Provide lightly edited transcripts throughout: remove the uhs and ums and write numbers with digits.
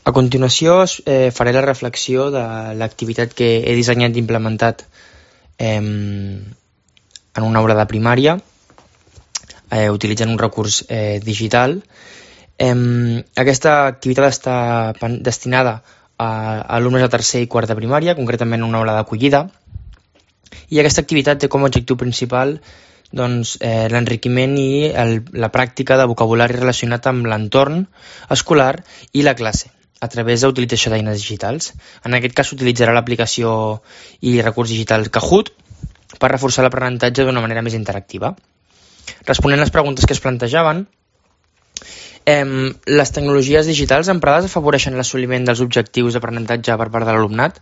A continuació faré la reflexió de l'activitat que he dissenyat i implementat en una aula de primària utilitzant un recurs digital. Aquesta activitat està destinada a alumnes de tercer i quart de primària, concretament una aula d'acollida, i aquesta activitat té com a objectiu principal l'enriquiment i la pràctica de vocabulari relacionat amb l'entorn escolar i la classe, a través de l'utilització d'eines digitals. En aquest cas s'utilitzarà l'aplicació i recurs digital Kahoot per reforçar l'aprenentatge d'una manera més interactiva. Responent a les preguntes que es plantejaven, les tecnologies digitals emprades afavoreixen l'assoliment dels objectius d'aprenentatge per part de l'alumnat.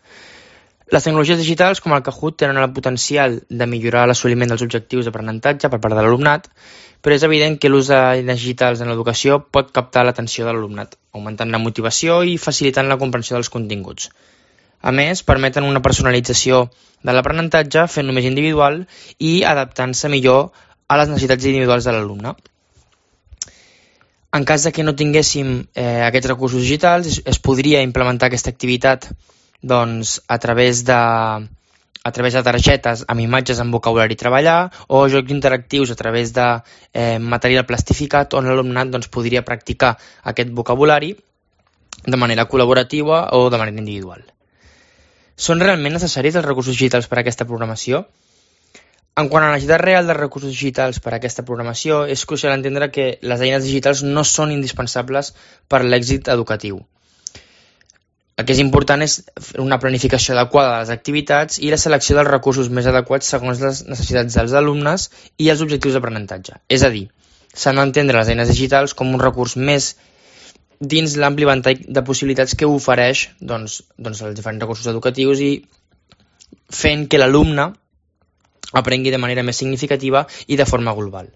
Les tecnologies digitals, com el Kahoot, tenen el potencial de millorar l'assoliment dels objectius d'aprenentatge per part de l'alumnat, però és evident que l'ús d'eines digitals en l'educació pot captar l'atenció de l'alumnat, augmentant la motivació i facilitant la comprensió dels continguts. A més, permeten una personalització de l'aprenentatge, fent-lo més individual i adaptant-se millor a les necessitats individuals de l'alumne. En cas de que no tinguéssim aquests recursos digitals, es podria implementar aquesta activitat a través de targetes amb imatges amb vocabulari treballar o jocs interactius a través de material plastificat on l'alumnat podria practicar aquest vocabulari de manera col·laborativa o de manera individual. Són realment necessaris els recursos digitals per a aquesta programació? En quant a la necessitat real dels recursos digitals per a aquesta programació, és crucial entendre que les eines digitals no són indispensables per a l'èxit educatiu. El que és important és una planificació adequada de les activitats i la selecció dels recursos més adequats segons les necessitats dels alumnes i els objectius d'aprenentatge. És a dir, s'han d'entendre les eines digitals com un recurs més dins l'ampli ventall de possibilitats que ofereix els diferents recursos educatius i fent que l'alumne aprengui de manera més significativa i de forma global.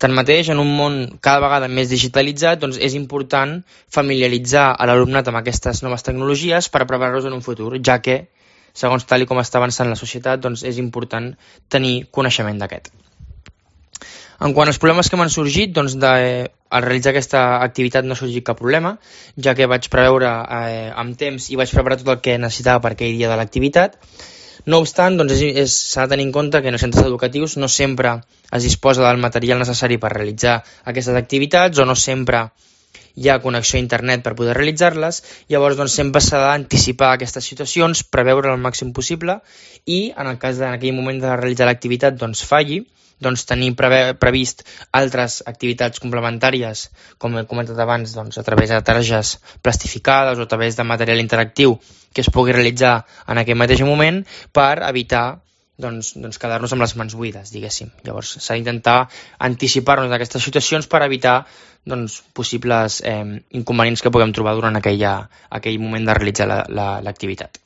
Tanmateix, en un món cada vegada més digitalitzat, és important familiaritzar a l'alumnat amb aquestes noves tecnologies per preparar-los en un futur, ja que, segons tal com està avançant la societat, és important tenir coneixement d'aquest. En quant als problemes que m'han sorgit, al realitzar aquesta activitat no ha sorgit cap problema, ja que vaig preveure amb temps i vaig preparar tot el que necessitava per aquell dia de l'activitat. No obstant, s'ha de tenir en compte que en els centres educatius no sempre es disposa del material necessari per realitzar aquestes activitats o no sempre hi ha connexió a internet per poder realitzar-les, llavors sempre s'ha d'anticipar aquestes situacions, preveure el màxim possible i en el cas en aquell moment de realitzar l'activitat falli, tenir previst altres activitats complementàries, com he comentat abans, a través de targes plastificades o a través de material interactiu que es pugui realitzar en aquell mateix moment per evitar quedar-nos amb les mans buides, diguéssim. Llavors s'ha d'intentar anticipar-nos d'aquestes situacions per evitar possibles inconvenients que puguem trobar durant aquell moment de realitzar l'activitat.